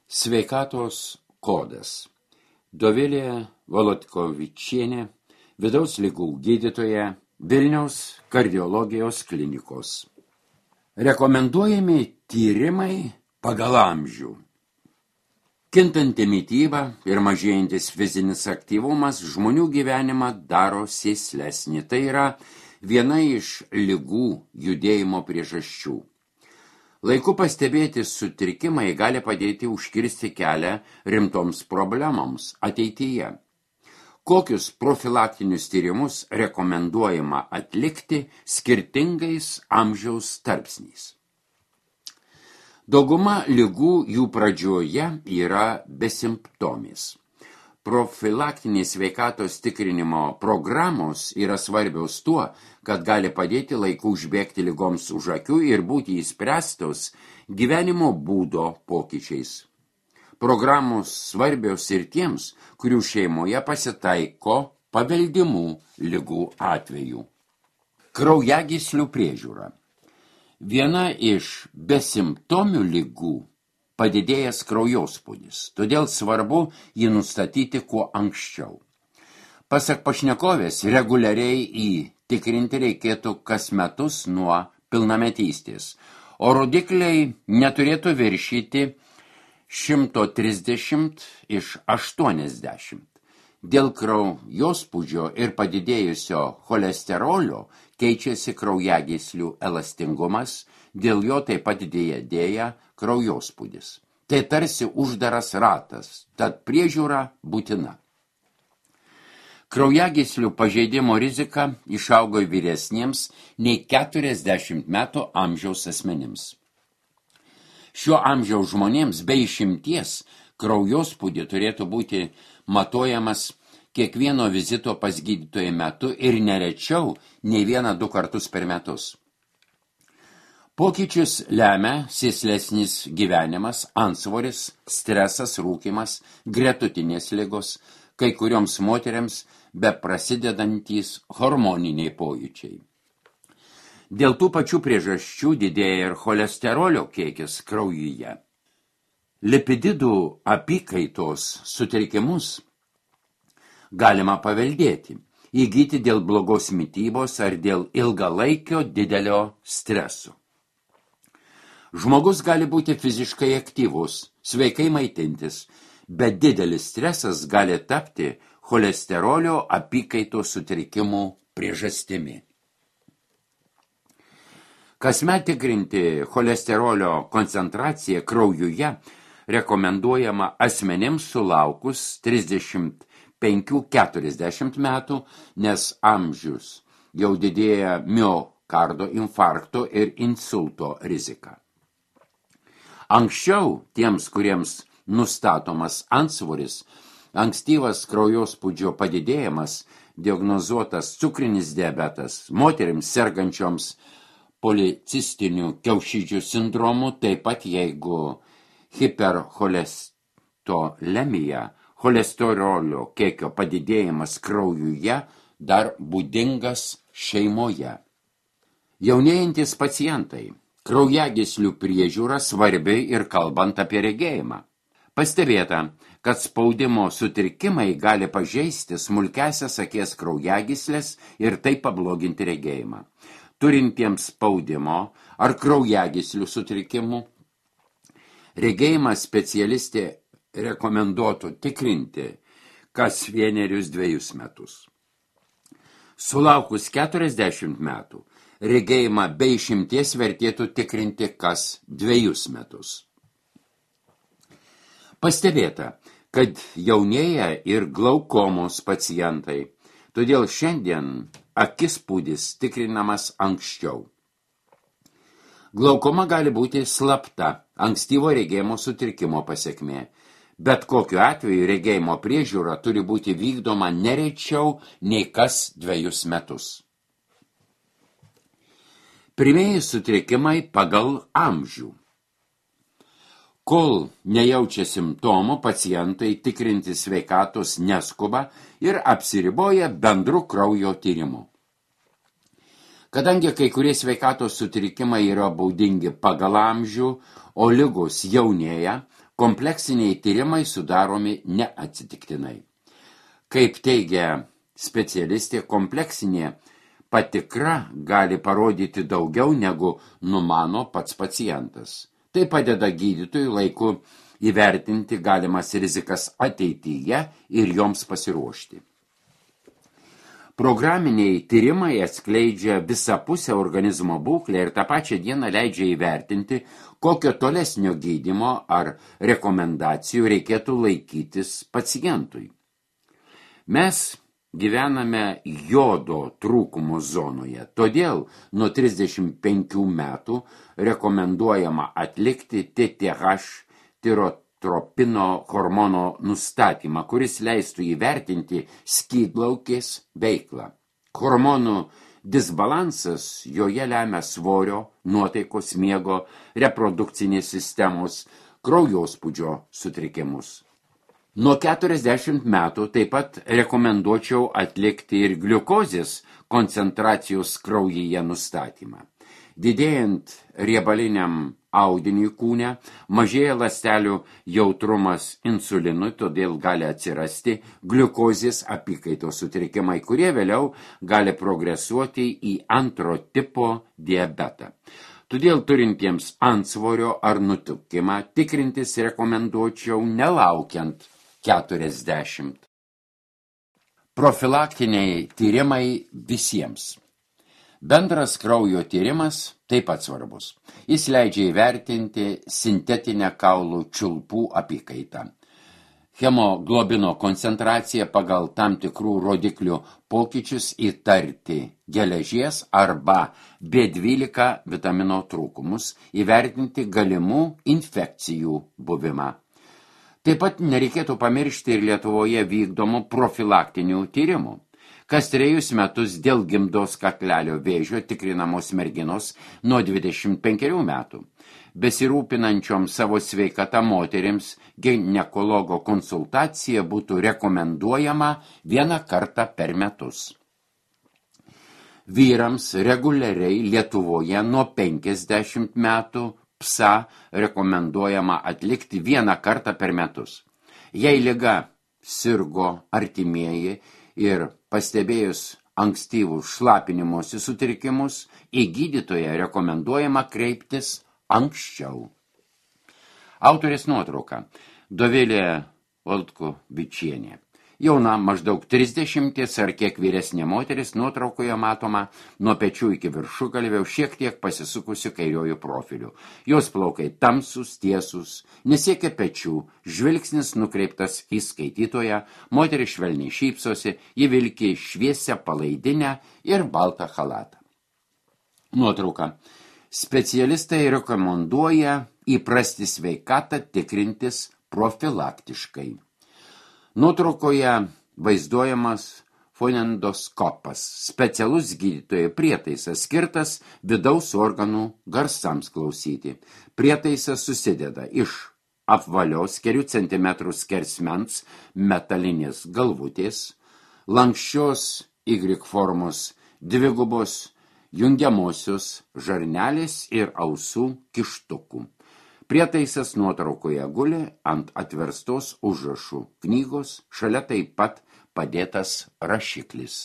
Sveikatos kodas. Dovilė Volodkovičienė, vidaus ligų gydytoja, Vilniaus kardiologijos klinikos. Rekomenduojami tyrimai pagal amžių. Kintanti mityba ir mažėjantis fizinis aktyvumas žmonių gyvenimą daro sėslesnį. Tai yra viena iš ligų judėjimo priežasčių. Laiku pastebėti sutrikimai gali padėti užkirsti kelią rimtoms problemoms ateityje. Kokius profilaktinius tyrimus rekomenduojama atlikti skirtingais amžiaus tarpsniais? Dauguma ligų jų pradžioje yra besimptomis. Profilaktinės sveikatos tikrinimo programos yra svarbios tuo, kad gali padėti laiku užbėgti ligoms už akių ir būti įspręstos gyvenimo būdo pokyčiais. Programos svarbios ir tiems, kurių šeimoje pasitaiko paveldimų ligų atvejų. Kraujagyslių priežiūra. Viena iš besimptomių ligų padidėjęs kraujospūdis, todėl svarbu jį nustatyti kuo anksčiau. Pasak pašnekovės, reguliariai tikrinti reikėtų kas metus nuo pilnametystės, o rodikliai neturėtų viršyti 130 iš 80. Dėl kraujospūdžio ir padidėjusio cholesterolio keičiasi kraujagyslių elastingumas, dėl jo taip pat didėja kraujospūdis. Tai tarsi uždaras ratas, tad priežiūra būtina. Kraujagyslių pažeidimo rizika išaugo vyresniems nei 40 metų amžiaus asmenims. Šiuo amžiaus žmonėms be išimties kraujospūdį turėtų būti matuojamas kiekvieno vizito pas gydytoją metu ir nerečiau nei 1-2 kartus per metus. Pokyčius lemia sėslesnis gyvenimas, antsvoris, stresas, rūkymas, gretutinės ligos, kai kurioms moteriams beprasidedantys hormoniniai pojūčiai. Dėl tų pačių priežasčių didėja ir cholesterolio kiekis kraujyje. Lipididų apykaitos sutrikimus galima paveldėti, įgyti dėl blogos mitybos ar dėl ilgalaikio didelio streso. Žmogus gali būti fiziškai aktyvus, sveikai maitintis, bet didelis stresas gali tapti cholesterolio apykaitos sutrikimų priežastimi. Kasmet tikrinti cholesterolio koncentraciją kraujuje rekomenduojama asmenims sulaukus 35-40 metų, nes amžius jau didėja miokardo infarkto ir insulto rizika. Anksčiau tiems, kuriems nustatomas antsvoris, ankstyvas kraujospūdžio padidėjimas, diagnozuotas cukrinis diabetas, moterims sergančioms policistiniu kiaušidžių sindromu, taip pat jeigu hipercholesterolemija, cholesterolio kiekio padidėjimas kraujuje dar būdingas šeimoje. Jaunėjantis pacientai. Kraujagyslių priežiūra svarbi ir kalbant apie regėjimą. Pastebėta, kad spaudimo sutrikimai gali pažeisti smulkiasias akies kraujagyslės ir taip pabloginti regėjimą. Turintiems spaudimo ar kraujagyslių sutrikimų, regėjimą specialistė rekomenduotų tikrinti kas 1-2 metus. Sulaukus 40 metų, regėjimą be išimties vertėtų tikrinti kas 2 metus. Pastebėta, kad jaunėja ir glaukomos pacientai, todėl šiandien akispūdis tikrinamas anksčiau. Glaukoma gali būti slapta, ankstyvo regėjimo sutrikimo pasekmė, bet kokiu atveju regėjimo priežiūra turi būti vykdoma nerečiau nei kas 2 metus. Pirmieji sutrikimai pagal amžių. Kol nejaučia simptomų, pacientai tikrinti sveikatos neskuba ir apsiriboja bendru kraujo tyrimu. Kadangi kai kurie sveikatos sutrikimai yra baudingi pagal amžių, o ligos jaunėja, Kompleksiniai tyrimai sudaromi neatsitiktinai. Kaip teigia specialistė, kompleksinė patikra gali parodyti daugiau negu numano pats pacientas. Tai padeda gydytojui laiku įvertinti galimas rizikas ateityje ir joms pasiruošti. Programiniai tyrimai atskleidžia visapusę organizmo būklę ir tą pačią dieną leidžia įvertinti, kokio tolesnio gydymo ar rekomendacijų reikėtų laikytis pacientui. Mes gyvename jodo trūkumo zonoje, todėl nuo 35 metų rekomenduojama atlikti TTH tirotropino hormono nustatymą, kuris leistų įvertinti skydlaukės veiklą. Hormonų disbalansas joje lemia svorio, nuotaikos, miego, reprodukcinės sistemos, kraujospūdžio sutrikimus. Nuo 40 metų taip pat rekomenduočiau atlikti ir gliukozės koncentracijos kraujyje nustatymą. Didėjant riebaliniam audiniui kūne, mažėja ląstelių jautrumas insulinui, todėl gali atsirasti gliukozės apykaitos sutrikimai, kurie vėliau gali progresuoti į antro tipo diabetą. Todėl turintiems antsvorio ar nutukimą tikrintis rekomenduočiau nelaukiant 40. Profilaktiniai tyrimai visiems. Bendras kraujo tyrimas taip pat svarbus. Jis leidžia įvertinti sintetinę kaulų čiulpų apykaitą. Hemoglobino koncentraciją pagal tam tikrų rodiklių pokyčius įtarti geležies arba B12 vitamino trūkumus, įvertinti galimų infekcijų buvimą. Taip pat nereikėtų pamiršti ir Lietuvoje vykdomų profilaktinių tyrimų. Kas 3 metus dėl gimdos kaklelio vėžio tikrinamos merginos nuo 25 metų. Besirūpinančiom savo sveikatą moterims ginekologo konsultacija būtų rekomenduojama 1 kartą per metus. Vyrams reguliariai Lietuvoje nuo 50 metų PSA rekomenduojama atlikti 1 kartą per metus. Jei liga sirgo artimieji ir pastebėjus ankstyvų šlapinimosi sutrikimus, į gydytoją rekomenduojama kreiptis anksčiau. Autorės nuotrauka. Dovilė Oldkovičienė. Jauna, maždaug 30 ar kiek vyresnė moteris, nuotraukoje matoma nuo pečių iki viršugalvio šiek tiek pasisukusi kairiojų profiliu. Jos plaukai tamsus, tiesus, nesiekia pečių, žvilgsnis nukreiptas į skaitytoją, moteris švelniai šypsosi, ji vilki šviesią palaidinę ir baltą chalatą. Nuotrauka. Specialistai rekomenduoja įprasti sveikatą tikrintis profilaktiškai. Nuotraukoje vaizduojamas fonendoskopas, specialus gydytojo prietaisas skirtas vidaus organų garsams klausyti. Prietaisas susideda iš apvalios kelių centimetrų skersmens metalinės galvutės, lanksčios Y formos dvigubos jungiamosios žarnelės ir ausų kištukų. Prietaisas nuotraukoje guli ant atverstos užrašų knygos, šalia taip pat padėtas rašiklis.